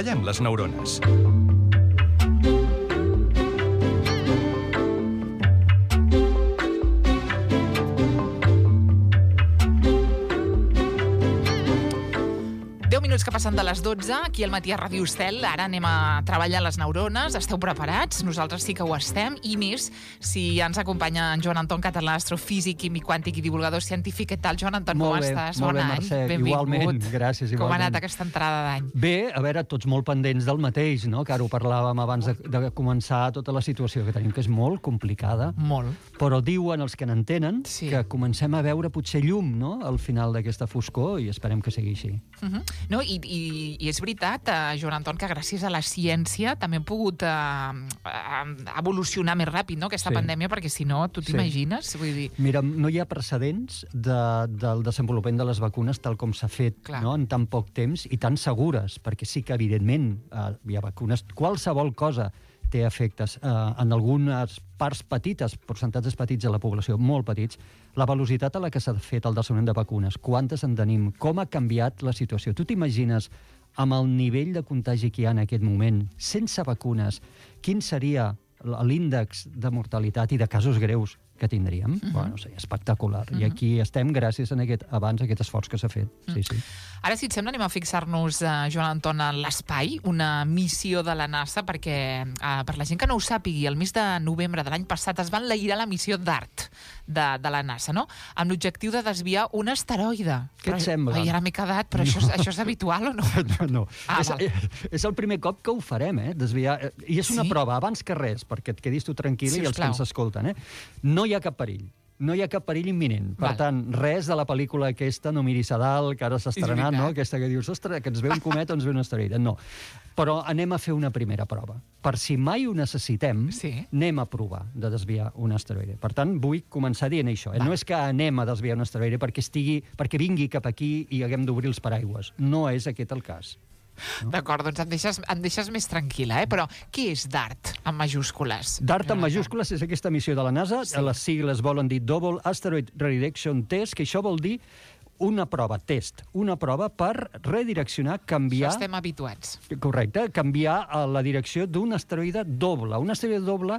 Treballem les neurones. Minuts que passen de les 12, aquí al Matí a Ràdio Estel. Ara anem a treballar les neurones. Esteu preparats? Nosaltres sí que ho estem. I més, si ja ens acompanya en Joan Anton Català, astrofísic, químic quàntic i divulgador científic. Què tal, Joan Anton? Com estàs? Molt bé, Bon any. Mercè. Benvingut. Igualment, gràcies. Igualment. Com ha anat aquesta entrada d'any? Bé, a veure, tots molt pendents del mateix, no? Que ara ho parlàvem abans de començar tota la situació que tenim, que és molt complicada. Molt. Però diuen els que n'entenen que comencem a veure potser llum, no?, al final d'aquesta foscor, i esperem que sigui així. No, i és veritat, Joan Anton, que gràcies a la ciència també hem pogut evolucionar més ràpid, no?, aquesta pandèmia, perquè si no, tu t'imagines? Vull dir... Mira, no hi ha precedents del desenvolupament de les vacunes tal com s'ha fet, no?, en tan poc temps i tan segures, perquè sí que, evidentment, hi ha vacunes. Qualsevol cosa té efectes. En algunes parts petites, percentatges petits de la població, molt petits, la velocitat a la que s'ha fet el desenvolupament de vacunes, quantes en tenim, com ha canviat la situació. Tu t'imagines, amb el nivell de contagi que hi ha en aquest moment, sense vacunes, quin seria l'índex de mortalitat i de casos greus que tindríem? Bueno, sí, espectacular. I aquí estem gràcies a aquest esforç que s'ha fet. Sí. Ara, si et sembla, anem a fixar-nos, Joan Anton, en l'espai, una missió de la NASA, perquè, per la gent que no ho sàpigui, el mes de novembre de l'any passat es va enlairar la missió DART de la NASA, no?, amb l'objectiu de desviar un asteroide. Què et sembla? Ai, ara m'he quedat, però això és habitual o no? No. És el primer cop que ho farem, desviar. I és una prova, abans que res, perquè et quedis tu tranquil·la i els que ens escolten. No hi ha cap perill. No hi ha cap perill imminent. Per tant, res de la pel·lícula aquesta, No miris a dalt, que ara s'ha estrenat, no?, aquesta que dius, ostres, que ens ve un cometa o ens ve un asteroide. No. Però anem a fer una primera prova. Per si mai ho necessitem, anem a provar de desviar un asteroide. Per tant, vull començar dient això. No és que anem a desviar un asteroide perquè vingui cap aquí i haguem d'obrir els paraigües. No és aquest el cas. No? D'acord, doncs em deixes més tranquil·la, però què és DART en majúscules? DART en majúscules és aquesta missió de la NASA, les sigles volen dir Double Asteroid Redirection Test, que això vol dir una prova per redireccionar, canviar... Això estem habituats. Correcte, canviar la direcció d'un asteroide doble. Un asteroide doble,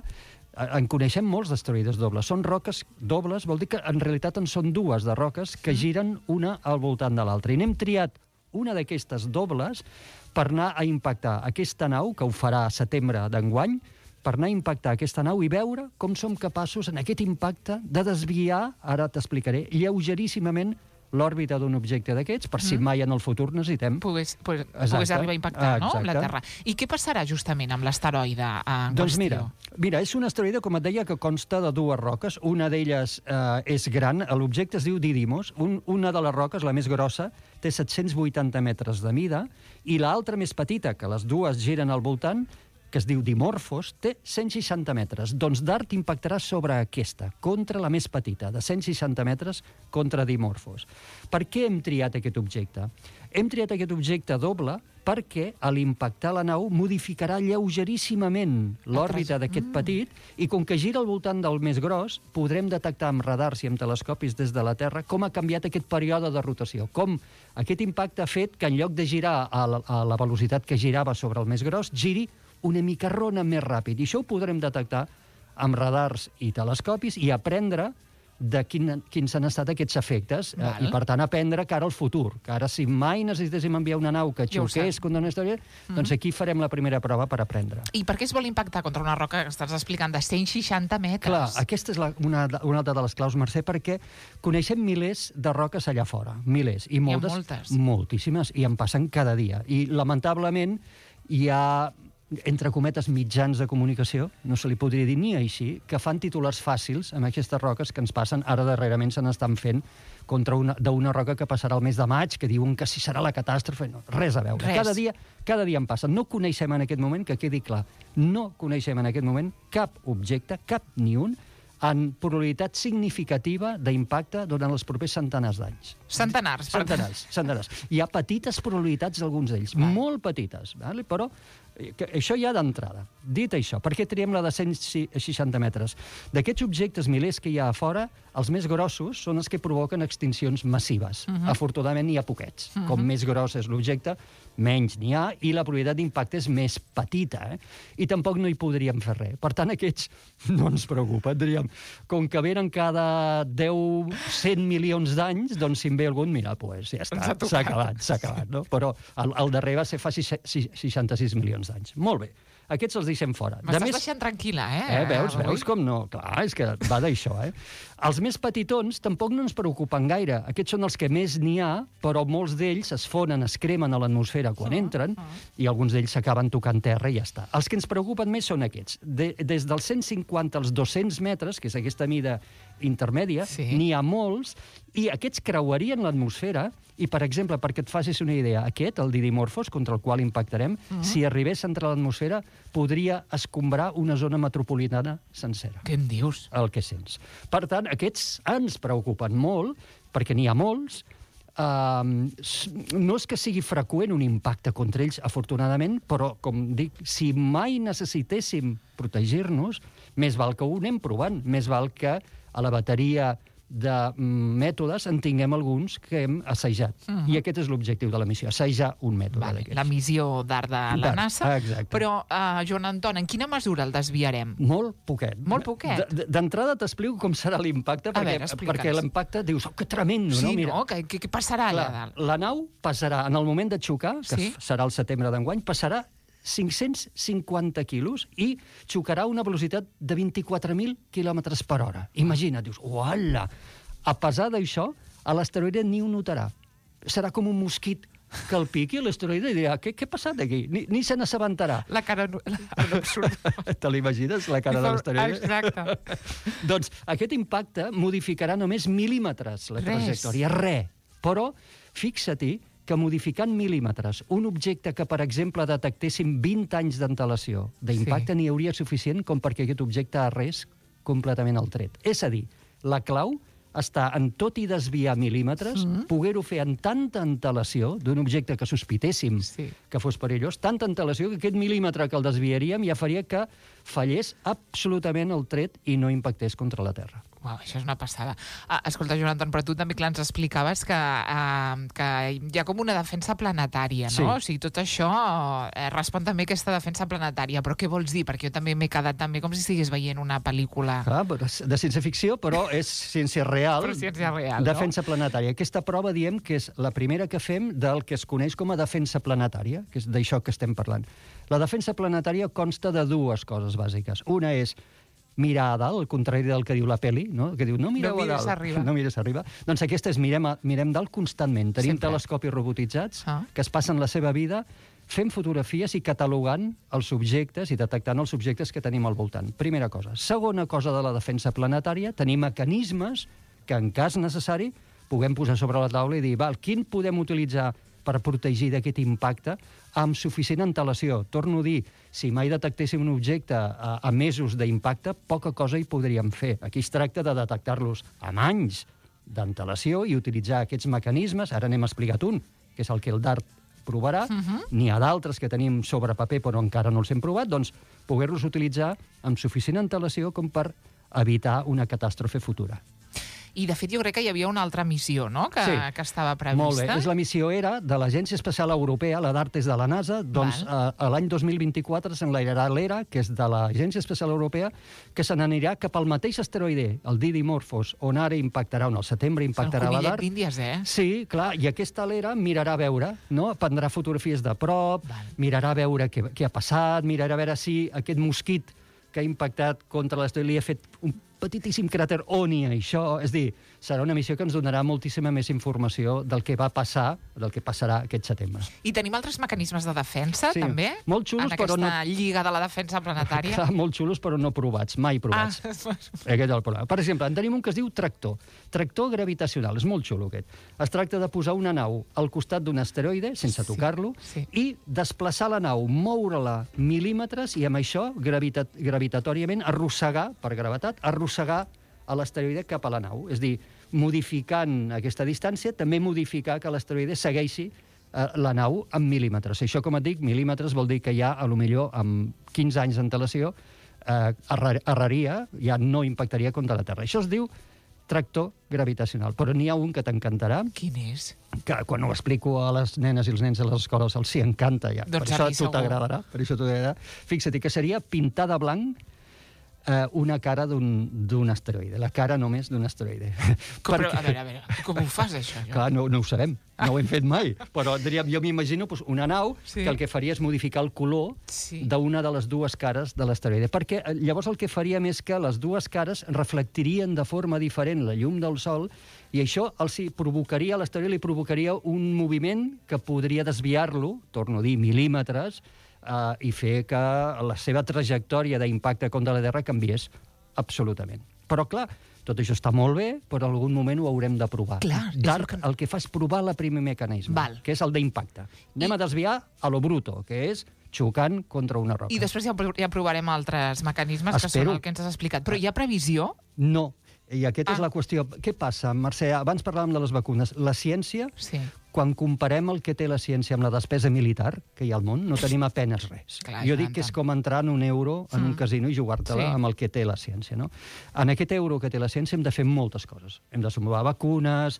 en coneixem molts d'asteroides dobles, són roques dobles, vol dir que en realitat en són dues de roques que giren una al voltant de l'altra. I n'hem triat una d'aquestes dobles per anar a impactar aquesta nau, que ho farà a setembre d'enguany, per anar a impactar aquesta nau i veure com som capaços en aquest impacte de desviar, ara t'explicaré, lleugeríssimament l'òrbita d'un objecte d'aquests, per si mai en el futur necessitem... Pogués arribar a impactar, no?, amb la Terra. I què passarà justament amb l'asteroide en qüestió? Mira, és un asteroide, com et deia, que consta de dues roques. Una d'elles és gran, l'objecte es diu Didymos. Una de les roques, la més grossa, té 780 metres de mida, i l'altra més petita, que les dues giren al voltant, que es diu Dimorphos, té 160 metres. Doncs DART impactarà sobre aquesta, contra la més petita, de 160 metres, contra Dimorphos. Per què hem triat aquest objecte? Hem triat aquest objecte doble perquè a l'impactar la nau modificarà lleugeríssimament l'òrbita d'aquest petit i com que gira al voltant del més gros, podrem detectar amb radars i amb telescopis des de la Terra com ha canviat aquest període de rotació, com aquest impacte ha fet que en lloc de girar a la velocitat que girava sobre el més gros, giri una mica rona més ràpid. I això ho podrem detectar amb radars i telescopis i aprendre de quins han estat aquests efectes i, per tant, aprendre cara al futur. Que ara, si mai necessitéssim enviar una nau que xoqués contra una història, doncs aquí farem la primera prova per aprendre. I per què es vol impactar contra una roca que estàs explicant de 160 metres? Clar, aquesta és una altra de les claus, Mercè, perquè coneixem milers de roques allà fora. Milers. I moltes. Moltíssimes. I en passen cada dia. I, lamentablement, hi ha entre cometes, mitjans de comunicació, no se li podria dir ni així, que fan titulars fàcils amb aquestes roques que ens passen, ara darrerament se n'estan fent contra d'una roca que passarà el mes de maig, que diuen que si serà la catàstrofe. No, res a veure. Cada dia en passen. No coneixem en aquest moment, que quedi clar, no coneixem en aquest moment cap objecte, cap ni un, en probabilitat significativa d'impacte durant els propers centenars d'anys. Centenars. Hi ha petites probabilitats d'alguns d'ells, molt petites, però Això ja d'entrada. Dit això, per què triem la de 160 metres? D'aquests objectes milers que hi ha a fora, els més grossos són els que provoquen extincions massives. Afortunadament n'hi ha poquets. Com més gros és l'objecte, menys n'hi ha, i la probabilitat d'impacte és més petita. I tampoc no hi podríem fer res. Per tant, aquests no ens preocupen. Diríem, com que venen cada 10-100 milions d'anys, doncs si en ve algun, mira, pues ja està, s'ha acabat, no? Però el darrer va ser fa 66 milions d'anys. Molt bé. Aquests els deixem fora. M'estàs deixant tranquil·la, Veus com no? Clar, és que va d'això, Els més petitons tampoc no ens preocupen gaire. Aquests són els que més n'hi ha, però molts d'ells es fonen, es cremen a l'atmosfera quan entren, i alguns d'ells s'acaben tocant terra i ja està. Els que ens preocupen més són aquests. Des dels 150 als 200 metres, que és aquesta mida intermèdia, n'hi ha molts, i aquests creuarien l'atmosfera, i, per exemple, perquè et facis una idea, aquest, el Didymorphos, contra el qual impactarem, si arribés a entrar a l'atmosfera, podria escombrar una zona metropolitana sencera. Què em dius? El que sents. Per tant, aquests ens preocupen molt, perquè n'hi ha molts. No és que sigui freqüent un impacte contra ells, afortunadament, però, com dic, si mai necessitéssim protegir-nos, més val que ho anem provant, més val que a la bateria de mètodes en tinguem alguns que hem assajat. I aquest és l'objectiu de la missió, assajar un mètode d'aquests. La missió d'art de la NASA. Exacte. Però, Joan Anton, en quina mesura el desviarem? Molt poquet. Molt poquet? D'entrada t'explico com serà l'impacte, perquè l'impacte dius, que tremendo, no? Sí, no? Què passarà allà dalt? La nau passarà, en el moment de xocar, que serà el setembre d'enguany, passarà 550 quilos i xocarà a una velocitat de 24.000 quilòmetres per hora. Imagina't, dius, uala! A pesar d'això, a l'asteroide ni ho notarà. Serà com un mosquit que el piqui a l'asteroide i dirà, què ha passat aquí? Ni se n'assabentarà. La cara absurda. Te l'imagines, la cara de l'asteroide? Exacte. Doncs aquest impacte modificarà només mil·límetres la trajectòria. Res. Però fixa-t'hi que modificant mil·límetres un objecte que, per exemple, detectéssim 20 anys d'antelació d'impacte n'hi hauria suficient com perquè aquest objecte arrés completament el tret. És a dir, la clau està en tot i desviar mil·límetres, poder-ho fer en tanta antelació d'un objecte que sospitéssim que fos perillós, tanta antelació que aquest mil·límetre que el desviaríem ja faria que fallés absolutament el tret i no impactés contra la Terra. Uau, això és una passada. Escolta, Joan Anton, però tu també, clar, ens explicaves que hi ha com una defensa planetària, no? O sigui, tot això respon també a aquesta defensa planetària. Però què vols dir? Perquè jo també m'he quedat també com si estigués veient una pel·lícula... de ciència-ficció, però és ciència real. Però ciència real, defensa planetària. Aquesta prova diem que és la primera que fem del que es coneix com a defensa planetària, que és d'això que estem parlant. La defensa planetària consta de dues coses bàsiques. Una és mirar a dalt, al contrari del que diu la pel·li, no? Que diu, no mireu a dalt. No mires arriba. Doncs aquesta és mirem dalt constantment. Tenim telescopis robotitzats que es passen la seva vida fent fotografies i catalogant els objectes i detectant els objectes que tenim al voltant. Primera cosa. Segona cosa de la defensa planetària, tenir mecanismes que, en cas necessari, puguem posar sobre la taula i dir, quin podem utilitzar per protegir d'aquest impacte amb suficient antelació. Torno a dir, si mai detectéssim un objecte a mesos d'impacte, poca cosa hi podríem fer. Aquí es tracta de detectar-los amb anys d'antelació i utilitzar aquests mecanismes. Ara n'hem explicat un, que és el que el DART provarà. N'hi ha d'altres que tenim sobre paper però encara no els hem provat, doncs poder-los utilitzar amb suficient antelació com per evitar una catàstrofe futura. I, de fet, jo crec que hi havia una altra missió, no?, que estava prevista. Molt bé. És la missió ERA de l'Agència Espacial Europea, la DART és de la NASA, doncs l'any 2024 s'enlairarà l'ERA, que és de l'Agència Espacial Europea, que se n'anirà cap al mateix asteroide, el Didymorphos, on ara impactarà, on al setembre impactarà la DART. El conillet d'Índies, Sí, clar, i aquesta l'ERA mirarà a veure, no? Prendrà fotografies de prop, mirarà a veure què ha passat, mirarà a veure si aquest mosquit que ha impactat contra l'asteroide li ha fet un petitíssim cràter on hi ha això. És a dir, serà una missió que ens donarà moltíssima més informació del que va passar, del que passarà aquest setembre. I tenim altres mecanismes de defensa, també? Molt xulos, però no... En aquesta lliga de la defensa planetària? Clar, molt xulos, però no provats, mai provats. Aquest és el problema. Per exemple, en tenim un que es diu tractor. Tractor gravitacional, és molt xulo aquest. Es tracta de posar una nau al costat d'un asteroide, sense tocar-lo, i desplaçar la nau, moure-la mil·límetres i amb això, gravitatòriament, arrossegar, per gravetat, arrossegar a l'asteroide cap a la nau. És a dir, modificant aquesta distància, també modificar que l'asteroide segueixi la nau en mil·límetres. Això, com et dic, mil·límetres vol dir que ja, a lo millor, amb 15 anys d'antelació, erraria, ja no impactaria contra la Terra. Això es diu tractor gravitacional. Però n'hi ha un que t'encantarà. Quin és? Que quan ho explico a les nenes i els nens a les escoles els hi encanta ja. Doncs per això t'agradarà. Fixa't que seria pintar de blanc una cara d'un asteroide. La cara només d'un asteroide. Però, a veure, com ho fas, això? Clar, no ho sabem. No ho hem fet mai. Però diríem, jo m'imagino una nau que el que faria és modificar el color d'una de les dues cares de l'asteroide. Perquè llavors el que faríem és que les dues cares reflectirien de forma diferent la llum del Sol i això provocaria, a l'asteroide li provocaria un moviment que podria desviar-lo, torno a dir, mil·límetres, i fer que la seva trajectòria d'impacte contra la Terra canviés absolutament. Però, clar, tot això està molt bé, però en algun moment ho haurem de provar. DART el que fa és provar el primer mecanisme, que és el d'impacte. Anem a desviar a lo bruto, que és xocant contra una roca. I després ja provarem altres mecanismes, que són el que ens has explicat. Però hi ha previsió? No. I aquesta és la qüestió. Què passa, Mercè? Abans parlàvem de les vacunes. La ciència, quan comparem el que té la ciència amb la despesa militar que hi ha al món, no tenim apenes res. Jo dic que és com entrar en un euro en un casino i jugar-te-la amb el que té la ciència. En aquest euro que té la ciència hem de fer moltes coses. Hem de desenvolupar vacunes,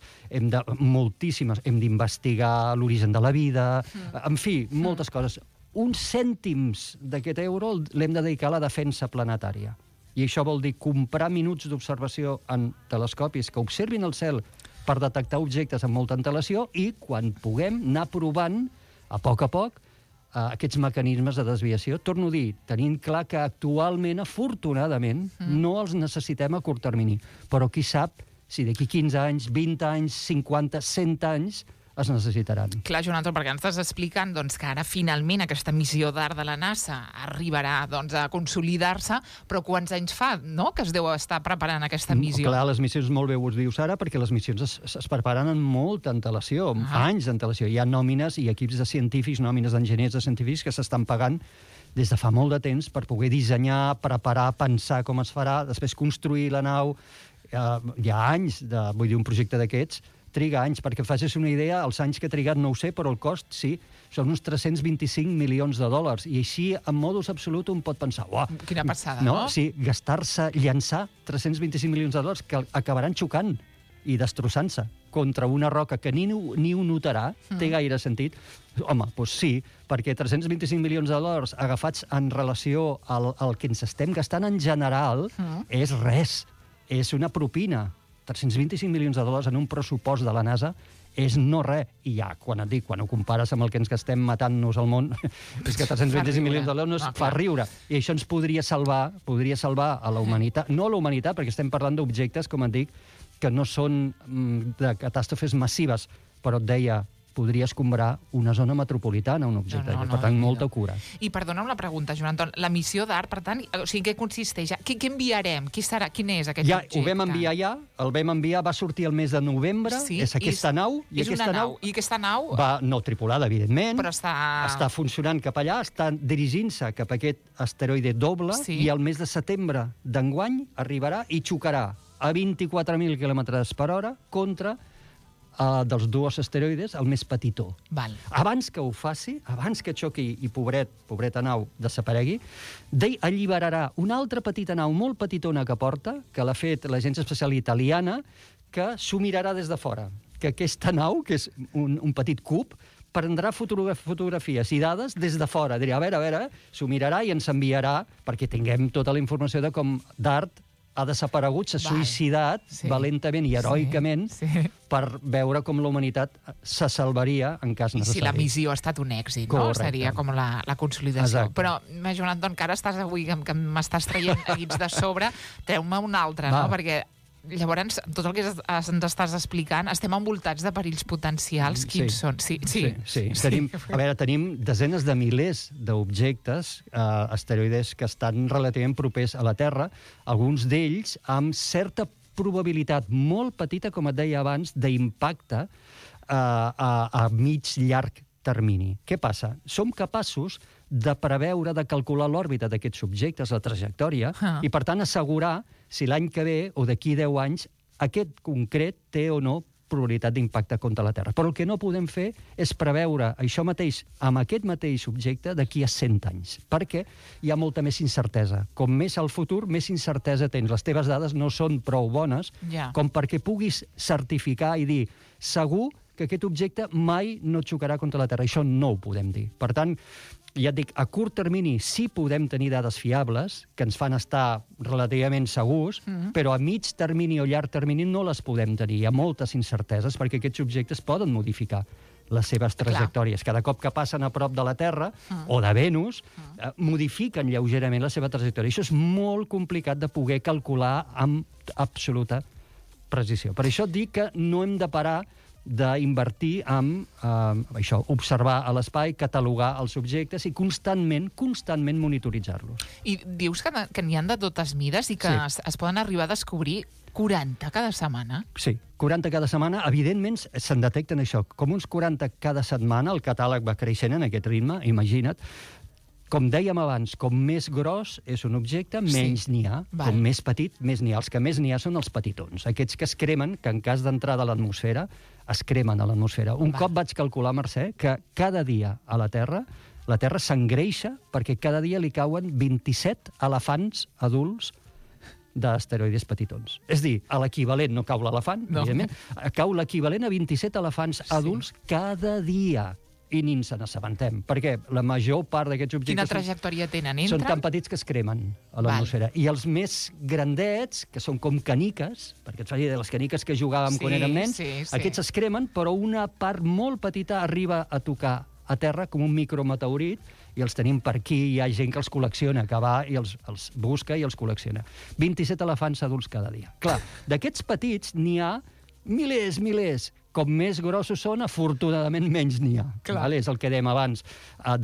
moltíssimes, hem d'investigar l'origen de la vida, en fi, moltes coses. Uns cèntims d'aquest euro l'hem de dedicar a la defensa planetària. I això vol dir comprar minuts d'observació en telescopis que observin el cel per detectar objectes amb molta antelació i, quan puguem, anar provant, a poc, aquests mecanismes de desviació. Torno a dir, tenint clar que actualment, afortunadament, no els necessitem a curt termini. Però qui sap si d'aquí 15 anys, 20 anys, 50, 100 anys es necessitaran. Clar, Joan Anton, perquè ens estàs explicant que ara finalment aquesta missió DART de la NASA arribarà a consolidar-se, però quants anys fa que es deu estar preparant aquesta missió? Clar, les missions molt bé ho dius ara, perquè les missions es preparen amb molta antelació, anys d'antelació. Hi ha nòmines i equips de científics, nòmines d'enginyers de científics que s'estan pagant des de fa molt de temps per poder dissenyar, preparar, pensar com es farà, després construir la nau. Hi ha anys, vull dir, un projecte d'aquests, triga anys, perquè facis una idea, els anys que ha trigat no ho sé, però el cost sí, són uns 325 milions de dòlars, i així, en modus absolut, un pot pensar, uah, quina passada, no? Sí, gastar-se, llançar 325 milions de dòlars que acabaran xocant i destrossant-se contra una roca que ni ho notarà, té gaire sentit? Home, doncs sí, perquè 325 milions de dòlars agafats en relació al que ens estem gastant en general és res, és una propina. 325 milions de dòlars en un pressupost de la NASA és no res. I ja, quan ho compares amb el que ens gastem matant-nos al món, és que 325 milions de dòlars fa riure. I això ens podria salvar a la humanitat. No a la humanitat, perquè estem parlant d'objectes, com et dic, que no són de catàstrofes massives, però et deia, podria escombrar una zona metropolitana, un objecte. Per tant, molta cura. I perdona'm la pregunta, Joan Anton, la missió DART, per tant, o sigui, què consisteix? Què enviarem? Quin és aquest objecte? Ja, ho vam enviar el vam enviar, va sortir el mes de novembre, és aquesta nau. És una nau. I aquesta nau? No tripulada, evidentment. Però està funcionant cap allà, està dirigint-se cap a aquest asteroide doble, i el mes de setembre d'enguany arribarà i xocarà a 24.000 km per hora contra dels dos asteroides, el més petitó. Abans que ho faci, abans que xoqui i pobreta nau desaparegui, alliberarà una altra petita nau molt petitona que porta, que l'ha fet l'Agència Espacial Italiana, que s'ho mirarà des de fora. Que aquesta nau, que és un petit cub, prendrà fotografies i dades des de fora. Dirà, a veure, s'ho mirarà i ens enviarà, perquè tinguem tota la informació de com DART ha desaparegut, s'ha suïcidat valentament i heroicament per veure com la humanitat se salvaria en cas necessari. I si la missió ha estat un èxit, no? Seria com la consolidació. Però, Joan Anton, que ara estàs avui, que m'estàs traient guits de sobre, treu-me una altra, no? Perquè llavors, tot el que ens estàs explicant, estem envoltats de perills potencials. Quins són? Sí. Tenim desenes de milers d'objectes, asteroides que estan relativament propers a la Terra, alguns d'ells amb certa probabilitat molt petita, com et deia abans, d'impacte a mig-llarg termini. Què passa? Som capaços de preveure, de calcular l'òrbita d'aquests objectes, la trajectòria, i per tant assegurar si l'any que ve o d'aquí 10 anys aquest concret té o no probabilitat d'impacte contra la Terra. Però el que no podem fer és preveure això mateix amb aquest mateix objecte d'aquí a 100 anys, perquè hi ha molta més incertesa. Com més al futur, més incertesa tens. Les teves dades no són prou bones com perquè puguis certificar i dir segur que aquest objecte mai no xocarà contra la Terra. Això no ho podem dir. Per tant, ja et dic, a curt termini sí podem tenir dades fiables que ens fan estar relativament segurs, però a mig termini o llarg termini no les podem tenir. Hi ha moltes incerteses perquè aquests objectes poden modificar les seves trajectòries. Cada cop que passen a prop de la Terra o de Venus, modifiquen lleugerament la seva trajectòria. Això és molt complicat de poder calcular amb absoluta precisió. Per això et dic que no hem de parar d'invertir en això, observar a l'espai, catalogar els objectes i constantment monitoritzar-los. I dius que n'hi ha de totes mides i que es poden arribar a descobrir 40 cada setmana? Sí, 40 cada setmana. Evidentment, se'n detecten això, com uns 40 cada setmana. El catàleg va creixent en aquest ritme, imagina't. Com dèiem abans, com més gros és un objecte, menys n'hi ha. Com més petit, més n'hi ha. Els que més n'hi ha són els petitons. Aquests que es cremen, que en cas d'entrada a l'atmosfera, es cremen a l'atmosfera. Un cop vaig calcular, Mercè, que cada dia a la Terra s'engreixa perquè cada dia li cauen 27 elefants adults d'asteroides petitons. És a dir, a l'equivalent, no cau l'elefant, evidentment, cau l'equivalent a 27 elefants adults cada dia. I ni ens n'assabentem, perquè la major part d'aquests objectes... Quina trajectòria tenen? Són tan petits que es cremen a l'atmosfera. I els més grandets, que són com caniques, perquè et faci de les caniques que jugàvem quan érem nens, aquests es cremen, però una part molt petita arriba a tocar a terra com un micrometeorit, i els tenim per aquí, hi ha gent que els col·lecciona, que va i els busca i els col·lecciona. 27 elefants adults cada dia. Clar, d'aquests petits n'hi ha milers. Com més grossos són, afortunadament menys n'hi ha. És el que dèiem abans.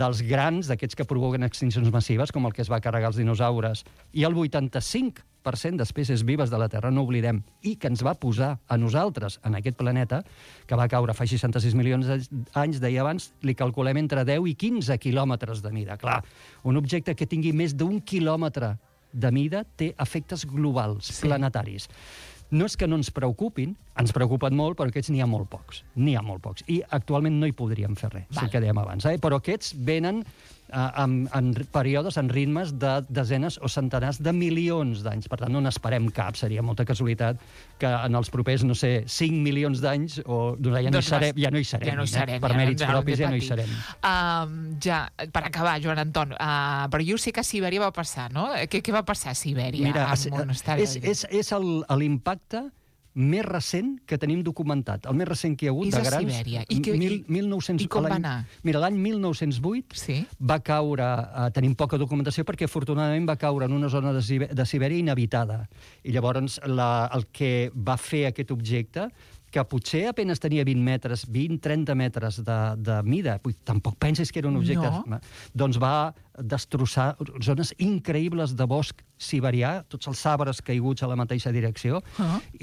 Dels grans, d'aquests que provoquen extincions massives, com el que es va carregar els dinosaures, i el 85% d'espècies vives de la Terra, no oblidem, i que ens va posar a nosaltres, en aquest planeta, que va caure fa 66 milions d'anys, deia abans, li calculem entre 10 i 15 quilòmetres de mida. Clar, un objecte que tingui més d'un quilòmetre de mida té efectes globals, planetaris. No és que no ens preocupin, ens preocupen molt, però aquests n'hi ha molt pocs. I actualment no hi podríem fer res, el que dèiem abans. Però aquests venen en períodes, en ritmes de desenes o centenars de milions d'anys. Per tant, no n'esperem cap. Seria molta casualitat que en els propers, 5 milions d'anys ja no hi serem. Per mèrits propis ja no hi serem. Per acabar, Joan Anton, però jo sé que a Sibèria va passar, no? Què va passar a Sibèria? Mira, és l'impacte més recent que tenim documentat. El més recent que hi ha hagut de grans... És a Sibèria. I com va anar? Mira, l'any 1908 va caure... Tenim poca documentació perquè, afortunadament, va caure en una zona de Sibèria inhabitada. I llavors el que va fer aquest objecte, que potser apenas tenia 20-30 metres de mida, tampoc pensis que era un objecte... Doncs va destrossar zones increïbles de bosc siberià, tots els arbres caiguts a la mateixa direcció,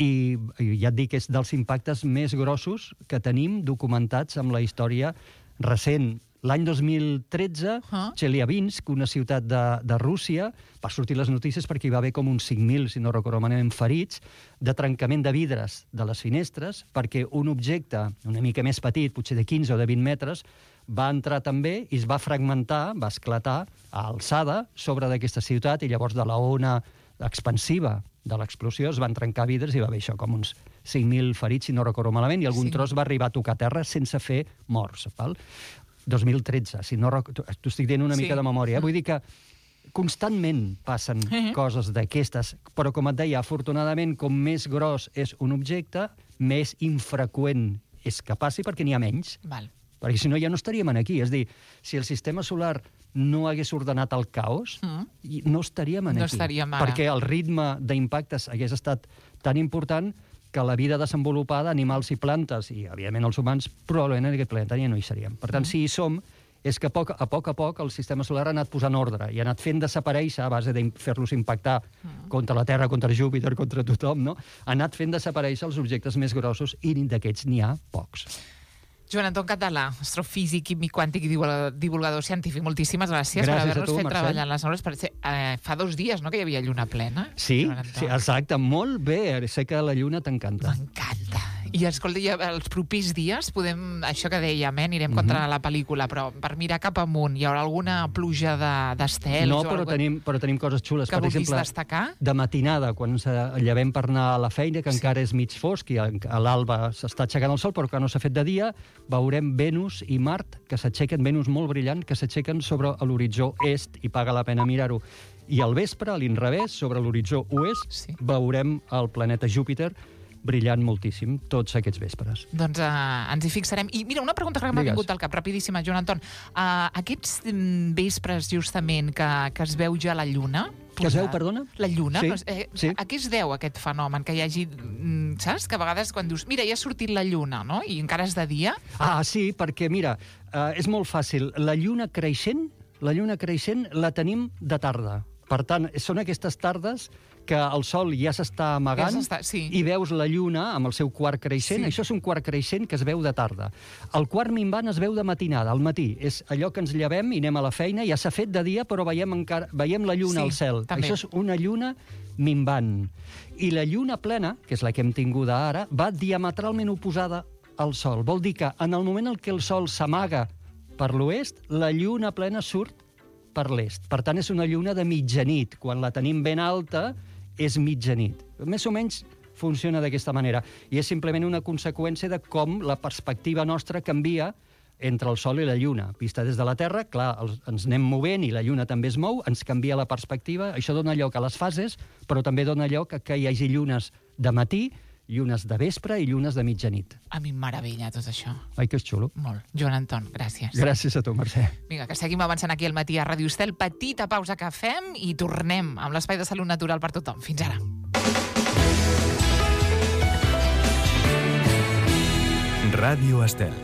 i ja et dic, és dels impactes més grossos que tenim documentats amb la història recent. L'any 2013, Chelyabinsk, una ciutat de Rússia, va sortir les notícies perquè hi va haver com uns 5.000, si no recordo malament, ferits de trencament de vidres de les finestres, perquè un objecte una mica més petit, potser de 15 o de 20 metres, va entrar també i es va fragmentar, va esclatar a alçada sobre d'aquesta ciutat, i llavors de la ona expansiva de l'explosió es van trencar vidres i va haver això, com uns 5.000 ferits, si no recordo malament, i algun tros va arribar a tocar terra sense fer morts. 2013, si no t'ho estic dient una mica de memòria. Vull dir que constantment passen coses d'aquestes, però com et deia, afortunadament, com més gros és un objecte, més infreqüent és que passi perquè n'hi ha menys. Perquè si no ja no estaríem aquí. És a dir, si el sistema solar no hagués ordenat el caos, no estaríem aquí. Perquè el ritme d'impactes hagués estat tan important que la vida desenvolupada, animals i plantes, i, evidentment, els humans, probablement en aquest planeta ja no hi seríem. Per tant, si hi som, és que a poc a poc el sistema solar ha anat posant ordre i ha anat fent desaparèixer, a base de fer-los impactar contra la Terra, contra Júpiter, contra tothom, no? Ha anat fent desaparèixer els objectes més grossos i d'aquests n'hi ha pocs. Joan Anton Català, astrofísic, químic quàntic i divulgador científic, moltíssimes gràcies per haver-nos fet treballar en les hores. Fa 2 dies, no?, que hi havia lluna plena. Sí, exacte, molt bé. Sé que la lluna t'encanta. M'encanta. I escolta, els propers dies podem, això que dèiem, anirem contra la pel·lícula, però per mirar cap amunt, hi haurà alguna pluja d'estels? No, però tenim coses xules. Que per vulguis exemple, destacar? De matinada, quan ens llevem per anar a la feina, que encara és mig fosc i a l'alba s'està aixecant el sol, però que no s'ha fet de dia, veurem Venus i Mart, que s'aixequen, Venus molt brillant, que s'aixequen sobre l'horitzó est, i paga la pena mirar-ho. I al vespre, a l'inrevés, sobre l'horitzó oest, veurem el planeta Júpiter brillant moltíssim tots aquests vespres. Doncs ens hi fixarem. I mira, una pregunta que m'ha vingut al cap, rapidíssima, Joan Anton. Aquests vespres, justament, que es veu ja la lluna... Que es veu, perdona? La lluna? Sí. A què es deu aquest fenomen? Que hi hagi... Saps? Que a vegades quan dius, mira, ja ha sortit la lluna, no? I encara és de dia? Ah, sí, perquè, mira, és molt fàcil. La lluna creixent la tenim de tarda. Per tant, són aquestes tardes que el sol ja s'està amagant i veus la lluna amb el seu quart creixent. Això és un quart creixent que es veu de tarda. El quart minvant es veu de matinada, al matí. És allò que ens llevem i anem a la feina, ja s'ha fet de dia, però veiem la lluna al cel. Això és una lluna minvant. I la lluna plena, que és la que hem tinguda ara, va diametralment oposada al sol. Vol dir que en el moment en què el sol s'amaga per l'oest, la lluna plena surt per l'est. Per tant, és una lluna de mitjanit. Quan la tenim ben alta, és mitjanit. Més o menys funciona d'aquesta manera. I és simplement una conseqüència de com la perspectiva nostra canvia entre el Sol i la Lluna. Vista des de la Terra, clar, ens anem movent i la Lluna també es mou, ens canvia la perspectiva. Això dona lloc a les fases, però també dona lloc a que hi hagi llunes de matí, llunes de vespre i llunes de mitjanit. A mi em meravella tot això. Ai, que és xulo. Molt. Joan Anton, gràcies. Gràcies a tu, Mercè. Vinga, que seguim avançant aquí al matí a Ràdio Estel. Petita pausa que fem i tornem amb l'Espai de Salut Natural per tothom. Fins ara. Ràdio Estel.